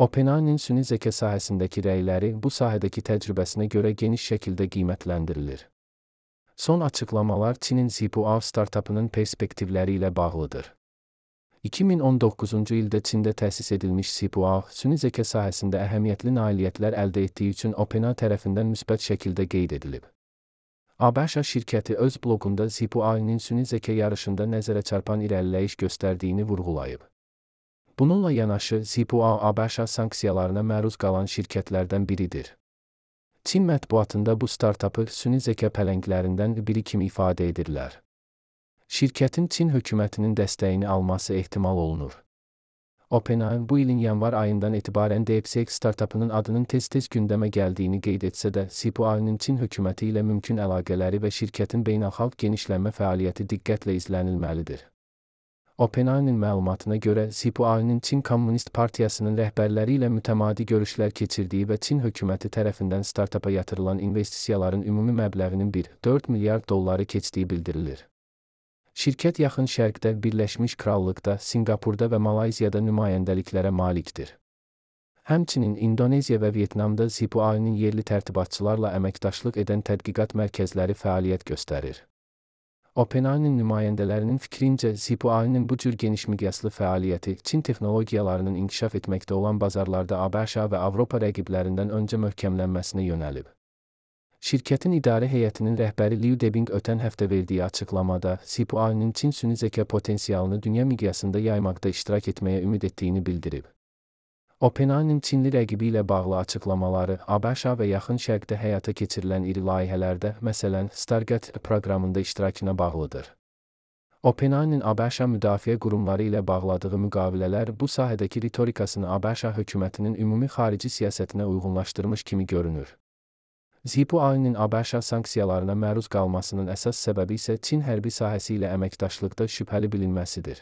OpenAI'nin süni zeka sahəsindəki rəyləri bu sahədəki təcrübəsinə görə geniş şəkildə qiymətləndirilir. Son açıqlamalar Çinin Zhipuao startapının perspektivləri ilə bağlıdır. 2019-cu ildə Çində təsis edilmiş Zhipuao, süni zeka sahəsində əhəmiyyətli nailiyyətlər əldə etdiyi üçün OpenAI tərəfindən müsbət şəkildə qeyd edilib. ABŞ şirkəti öz bloqunda Zhipuao'nun süni zeka yarışında nəzərə çarpan irəliləyiş göstərdiyini vurğulayıb. Bununla yanaşı, Zhipuao ABŞ sanksiyalarına məruz qalan şirkətlərdən biridir. Çin mətbuatında bu startapı süni zeka pələnglərindən biri kimi ifadə edirlər. Şirkətin Çin hökumətinin dəstəyini alması ehtimal olunur. OpenAI bu ilin yanvar ayından etibarən DeepSeek startapının adının tez-tez gündəmə gəldiyini qeyd etsə də, Zhipuao'nun Çin hökuməti ilə mümkün əlaqələri və şirkətin beynəlxalq genişlənmə fəaliyyəti diqqətlə izlənilməlidir. OpenAI'nin məlumatına görə, Zhipuao'nun Çin Komünist Partiyasının rəhbərləri ilə mütəmadi görüşlər keçirdiyi və Çin hökuməti tərəfindən startapa yatırılan investisiyaların ümumi məbləğinin 1,4 milyard dolları keçdiyi bildirilir. Şirkət Yaxın Şərqdə, Birləşmiş Krallıqda, Sinqapurda və Malayziyada nümayəndəliklərə malikdir. Həmçinin İndoneziya və Vyetnamda Zhipuao'nun yerli tərtibatçılarla əməkdaşlıq edən tədqiqat mərkəzləri fəaliyyət göstərir. OpenAI'nin nümayəndələrinin fikrincə, Zhipuao'nun bu cür geniş miqyaslı fəaliyyəti Çin texnologiyalarının inkişaf etməkdə olan bazarlarda ABŞ və Avropa rəqiblərindən öncə möhkəmlənməsinə yönəlib. Şirkətin idarə heyətinin rəhbəri Liu Debing ötən həftə verdiyi açıqlamada, Zhipuao'nun Çin süni zeka potensialını dünya miqyasında yaymaqda iştirak etməyə ümid etdiyini bildirib. OpenAI'nin Çinli rəqibi ilə bağlı açıqlamaları ABŞ və Yaxın Şərqdə həyata keçirilən iri layihələrdə, məsələn, Stargate proqramında iştirakına bağlıdır. OpenAI'nin ABŞ müdafiə qurumları ilə bağladığı müqavilələr bu sahədəki ritorikasını ABŞ hökumətinin ümumi xarici siyasətinə uyğunlaşdırmış kimi görünür. Zhipuao'nun ABŞ sanksiyalarına məruz qalmasının əsas səbəbi isə Çin hərbi sahəsi ilə əməkdaşlıqda şübhəli bilinməsidir.